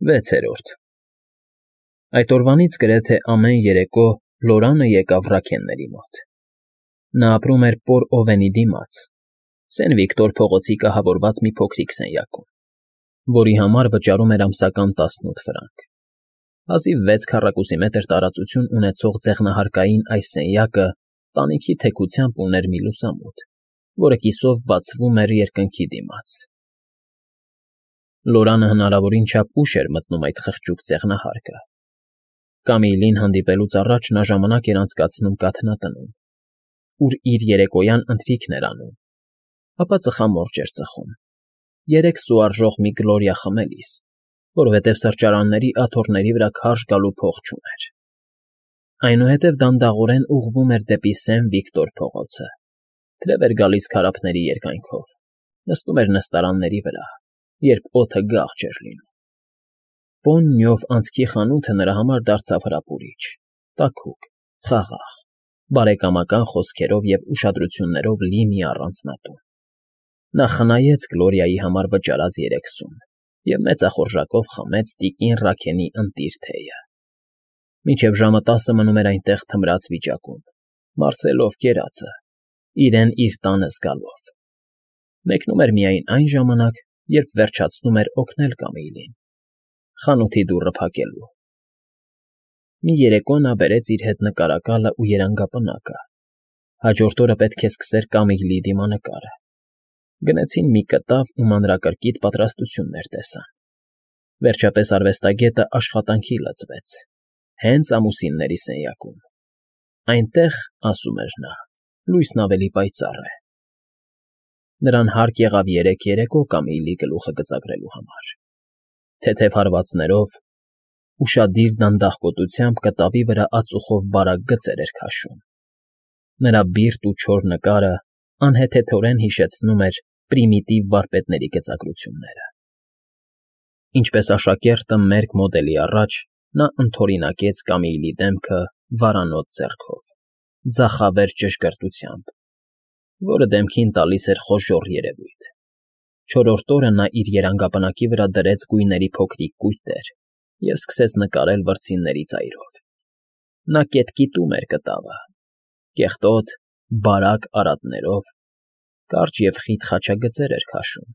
6-րդ Այդ օրվանից գրեթե ամեն երեկո Լորանը եկավ Ռաքենների մոտ։ Նա ապրում էր Պոր Օվենի դիմաց, Սեն Վիկտոր փողոցի կահավորված մի փոքրիկ սենյակում, որի համար վճարում էր ամսական 18 ֆրանկ։ Հազիվ 6 քառակուսի մետր տարածություն ունեցող ձեղնահարկային այս սենյակը տանիքի թեքությամբ ուներ մի լուսամուտ, որը կիսով բացվում էր երկնքի դիմաց։ Լորանը հնարավորին չափ ուշ էր մտնում այդ խղճուկ ձեղնահարկը։ Կամիլին հանդիպելուց առաջ նա ժամանակ էր անցկացնում կաթնատնում, ուր իր երեկոյան ընթրիքն էր անում, ապա ծխամորճ էր ծխում, 3 սուարժող մի գլորիա խմելիս, որովհետև սրճարանների աթոռների վրա քարշ գալու փող չուներ։ Այնուհետև դանդաղորեն ուղղվում էր դեպի Սեն Վիկտոր փողոցը, թրև էր գալիս քարափների երկայնքով, նստում էր նստարանների վրա, երբ օդը գաղ չէր լինում։ Պոննյով անցքի խանութը նրա համար դարձավ հրապուրիչ, տաքուկ, խաղաղ, բարեկամական խոսքերով և ուշադրություններով լի մի առանձնատուն։ Նա խնայեց Գլորիայի համար վճարած 3 սուն և մեծախորժակով խմեց տիկին Ռաքենի ընտիր թեյը։ Մինչև ժամը 10 մնում էր այնտեղ թմրած վիճակում, մարսելով կերածը, իրեն իր տանը զգալով։ Մեկնում էր միայն այն ժամանակ, երբ վերջացնում էր օգնել Կամիլին, խանութի դուռը փակելու։ Մի երեկո նա բերեց իր հետ նկարակալը ու երանգապնակը, հաջորդ օրը պետք է սկսեր Կամիլի դիմանկարը։ Գնեցին մի կտավ ու մանրակրկիտ պատրաստություններ տեսան։ Վերջապես արվեստագետը աշխատանքի լծվեց, հենց ամուսինների սենյակում։ Այնտեղ, ասում էր նա, լույսն ավելի պայծառ է։ Նրան հարկ եղավ 3 երեկո Կամիլի գլուխը գծագրելու համար։ Թեթև հարվածներով, ուշադիր դանդաղկոտությամբ կտավի վրա ածուխով բարակ գծեր էր քաշում։ Նրա բիրտ ու չոր նկարը անհեթեթորեն հիշեցնում էր պրիմիտիվ վարպետների գծագրությունները։ Ինչպես աշակերտը մերկ մոդելի առաջ, նա ընդօրինակեց Կամիլի դեմքը վարանոտ ձեռքով, ձախավեր ճշգրտությամբ, որը դեմքին տալիս էր խոժոռ երևույթ։ Չորրորդ օրը նա իր երանգապնակի վրա դրեց գույների փոքրիկ կույտեր և սկսեց նկարել վրձինների ծայրով։ Նա կետկիտում էր կտավը, կեղտոտ, բարակ արատներով, կարճ և խիտ խաչագծեր էր քաշում,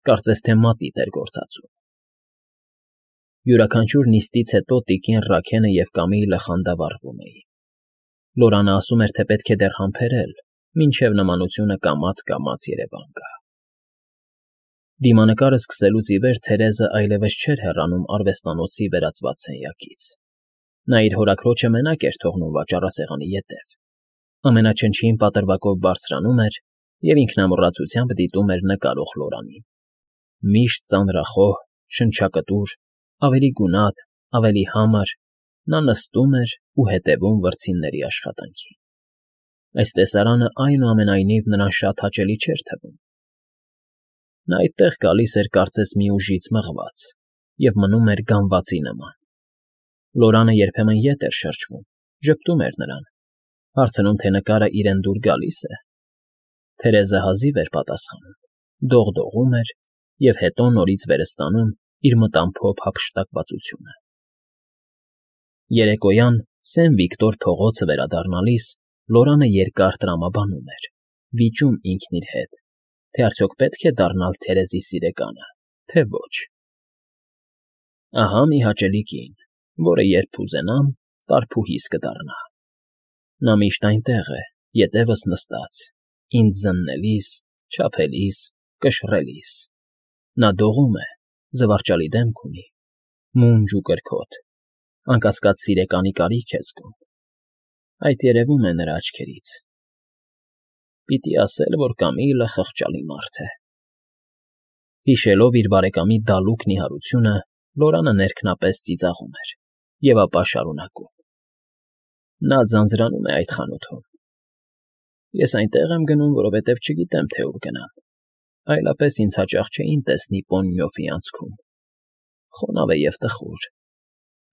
կարծես թե մատիտ էր գործածում։ Յուրաքանչյուր նիստից հետո տիկին Ռաքենը և Կամիլը խանդավառվում էին։ Լորանը ասում էր, թե պետք է դեռ համբերել, մինչև նմանությունը կամաց երևան գա։ Դիմանկարը սկսելուց ի վեր Թերեզը այլևս չէր հեռանում արվեստանոցի վերածված սենյակից։ Նա իր հորաքրոջը մենակ էր թողնում վաճառասեղանի ետև, ամենաչնչին պատրվակով բարձրանում էր և ինքնամոռացությամբ դիտում էր նկարող Լորանին։ Միշտ ծանրախոհ, շնչակտուր, ավելի գունատ, ավելի համր, նա նստում էր ու հետևում վրձինների աշխատանքին։ Այս տեսարանը այնուամենայնիվ նրան շատ հաճելի չէր թվում։ Նա այդտեղ գալիս էր կարծես մի ուժից մղված և մնում էր գանվածի նման։ Լորանը երբեմն ետ էր շրջվում, ժպտում էր նրան, հարցնում, թե նկարը իրեն դուր գալի՞ս է։ Թերեզը հազիվ էր պատասխանում, դողդողում էր և հետո նորից վեր ստանում իր մտամփոփ հափշտակվածությունը։ Երեկոյան Սեն Վիկտոր փողոցը վերադառնալիս Լորանը երկար տրամաբանում էր, վիճում ինքն իր հետ, թե արդյոք պետք է դառնալ Թերեզի սիրեկանը, թե ոչ։ Ահա մի հաճելի կին, որը երբ կուզենամ, տարփուհիս կդառնա։ Նա միշտ այնտեղ է, ետևս նստած, ինձ զննելիս, չափելիս, կշռելիս։ Նա դողում է, զվարճալի դեմք ունի, մունջ ու կրքոտ, անկասկած սիրեկանի կարիք է զգում։ Այդ երևում է նրա աչքերից։ Պիտի ասել, որ Կամիլը խղճալի մարդ է։ Հիշելով իր բարեկամի դալուկ նիհարությունը, Լորանը ներքնապես ծիծաղում էր և ապա շարունակում. Նա ձանձրանում է այդ խանութում։ Ես այնտեղ եմ գնում, որովհետև չգիտեմ, թե ուր գնամ, այլապես ինձ հաճախ չէին տեսնի Պոննյոֆի անցքում։ Խոնավ է և տխուր,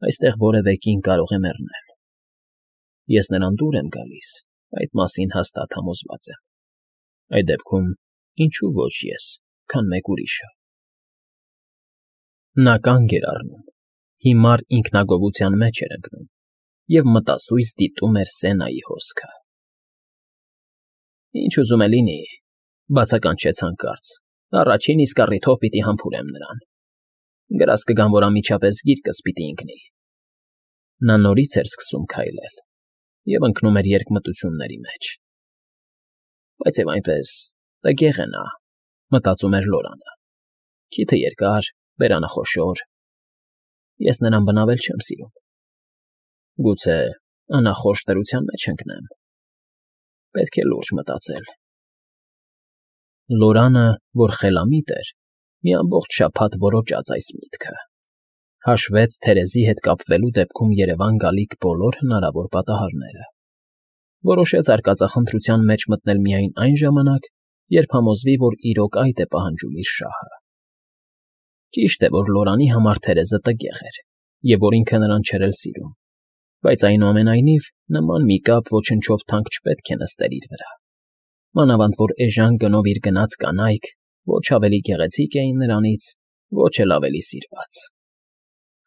այստեղ որևէ կին կարող է մեռնել։ Ես նրան դուր եմ գալիս, այդ մասին հաստատ համոզված եմ։ Այդ դեպքում ինչու ոչ ես, քան մեկ ուրիշը։ Նա կանգ էր առնում, հիմար ինքնագովության մեջ էր ընկնում և մտասույց դիտում էր Սենայի հոսքը։ «Ինչ ուզում է լինի,֊ բացականչեց հանկարծ,֊ առաջին իսկ առիթով պիտի համբուրեմ նրան։ Գրազ կգամ, որ անմիջապես գիրկս պիտի ընկնի»։ Նա նորից էր սկսում քայլել և ընկնում էր երկմտությունների մեջ։ «Բայց և այնպես, տգեղ է նա,֊ մտածում էր Լորանը,֊ քիթը երկար, բերանը խոշոր։ Ես նրան բնավել չեմ սիրում։ Գուցե անախորժ դրության մեջ ընկնեմ։ Պետք է լուրջ մտածել»։ Լորանը, որ խելամիտ էր, մի ամբողջ շաբաթ որոճաց այս միտքը, հաշվեց Թերեզի հետ կապվելու դեպքում Երևան գալիք բոլոր հնարավոր պատահարները, որոշեց արկածախնդրության մեջ մտնել միայն այն ժամանակ, երբ համոզվի, որ իրոք այդ է պահանջում իր շահը։ Ճիշտ է, որ Լորանի համար Թերեզը տգեղ էր, և որ ինքը նրան չէր էլ սիրում, բայց այնուամենայնիվ նման մի կապ ոչնչով թանկ չպետք է նստեր իր վրա, մանավանդ որ էժան գնով իր գնած կանայք ոչ ավելի գեղեցիկ էին նրանից, ոչ էլ ավելի սիրված։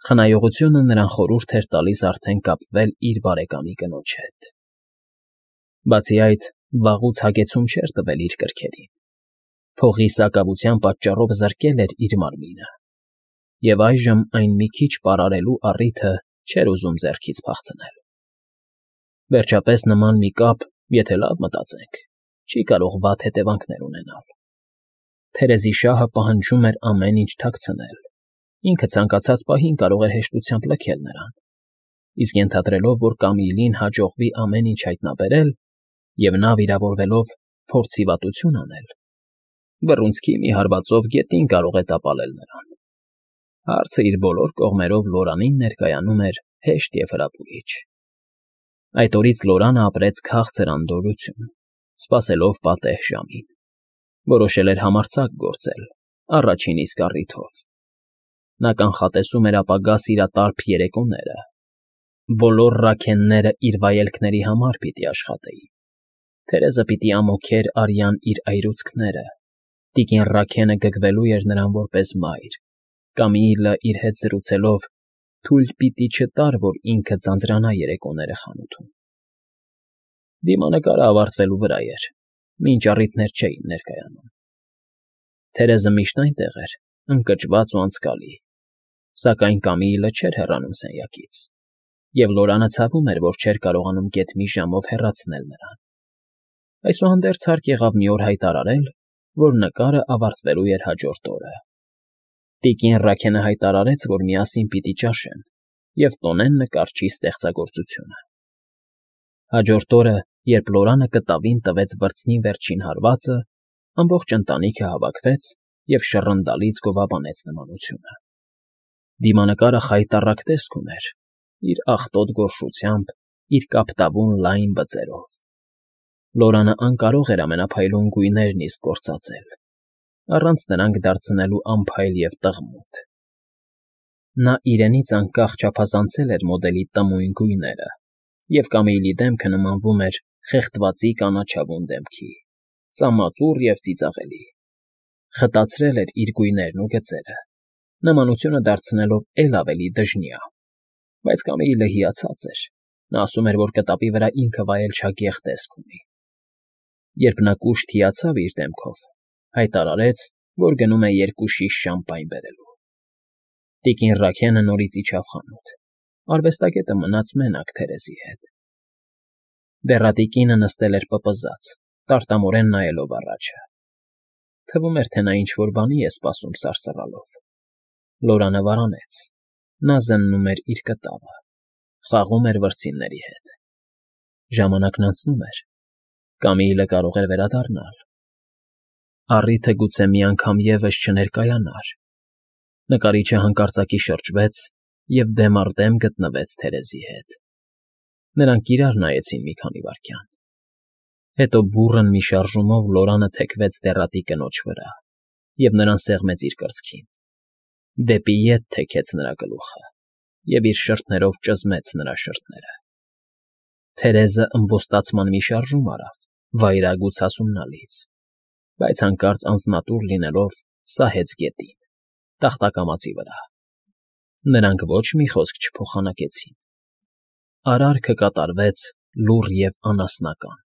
Խնայողությունը նրան խորհուրդ էր տալիս արդեն կապվել իր բարեկամի կնոջ հետ։ Բացի այդ, վաղուց հագեցում չէր տվել իր կրքերին, փողի սակավության պատճառով զրկել էր իր մարմինը, և այժմ այն մի քիչ պարարելու առիթը չէր ուզում ձեռքից փախցնել։ Վերջապես նման մի կապ, եթե լավ մտածենք, չի կարող վատ հետևանքներ ունենալ։ Թերեզի շահը պահանջում էր ամեն ինչ թաքցնել, ինքը ցանկացած պահին կարող էր հեշտությամբ լքել նրան, իսկ ենթադրելով, որ Կամիլին հաջողվի ամեն ինչ հայտնաբերել, և նա, վիրավորվելով, փորձի վատություն անել, բռունցքի մի հարվածով գետին կարող է տապալել նրան։ Հարցը իր բոլոր կողմերով Լորանին ներկայանում էր հեշտ և հրապուրիչ։ Այդ օրից Լորանը ապրեց քաղցր անդորրություն, սպասելով պատեհ ժամին։ Որոշել էր համարձակ գործել, առաջին իսկ առիթով։ Նա կանխատեսում էր ապագա սիրատարփ երեկոները։ Բոլոր Ռաքենները իր վայելքների համար պիտի աշխատեին։ Թերեզը պիտի ամոթեր արյան իր այրուցքները, տիկին Ռաքենը գգվելու էր նրան որպես մայր, Կամիլը իր հետ զրուցելով թույլ պիտի չտար, որ ինքը ձանձրանա երեկոները խանութում։ Դիմանկարը ավարտվելու վրա էր, մինչ առիթներ չէին ներկայանում։ Թերեզը միշտ այնտեղ էր, ընկճված ու անցկալի, սակայն Կամիլը չէր հեռանում սենյակից, և Լորանը ցավում էր, որ չէր կարողանում գեթ մի ժամով հեռացնել նրան։ Այսուհանդերձ հարկ եղավ մի օր հայտարարել, որ նկարը ավարտվելու էր հաջորդ օրը։ Տիկին Ռաքենը հայտարարեց, որ միասին պիտի ճաշեն և տոնեն նկարչի ստեղծագործությունը։ Հաջորդ օրը, երբ Լորանը կտավին տվեց վրձնի վերջին հարվածը, ամբողջ ընտանիքը հավաքվեց և շռնդալից գովաբանեց նմանությունը։ Դիմանկարը խայտառակ տեսք ուներ, իր աղտոտ գորշությամբ, իր կապտավուն լայն բծերով։ Լորանը անկարող էր ամենափայլուն գույներն իսկ գործածել, առանց նրանք դարձնելու անփայլ և տղմութ։ Նա իրենից անկախ չափազանցել էր մոդելի տմույն գույները, և Կամիլի դեմքը նմանվում էր խեղդվածի կանաչավուն դեմքի, ծամածուռ և ծիծաղելի։ Խտացրել էր իր գույներն ու գծերը, նմանությունը դարձնելով էլ ավելի դժնյա, բայց Կամիլը հիացած էր, նա ասում էր, որ կտավի վրա ինքը վայել չագեղ տեսք ունի։ Երբ նա կուշտ հիացավ իր դեմքով, հայտարարեց, որ գնում է 2 շիշ շամպայն բերելու։ Տիկին Ռաքենը նորից իջավ խանութ, արվեստագետը մնաց մենակ Թերեզի հետ։ Դեռատիկինը նստել էր պպզած, տարտամորեն նայելով առաջը։ Թվում էր, թե նա ինչ֊որ բանի է սպասում սարսռալով։ Լորանը վարանեց, նա զննում էր իր կտավը, խաղում էր վրձինների հետ։ Ժամանակն անցնում էր, Կամիլը կարող էր վերադառնալ։ Առիթը գուցե մի անգամ ևս չներկայանար։ Նկարիչը հանկարծակի շրջվեց և դեմ առ դեմ գտնվեց Թերեզի հետ։ Նրանք իրար նայեցին մի քանի վայրկյան։ Հետո բուռն մի շարժումով Լորանը թեքվեց դեռատի կնոջ վրա և նրան սեղմեց իր կրծքին։ Դեպի ետ թեքեց նրա գլուխը և իր շրթներով ճզմեց նրա շրթերը։ Թերեզը ըմբոստացման մի շարժում արավ, վայրագ ու ցասումնալից, բայց հանկարծ անձնատուր լինելով սահեց գետին, տախտակամածի վրա։ Նրանք ոչ մի խոսք չփոխանակեցին։ Արարքը կատարվեց լուռ և անասնական։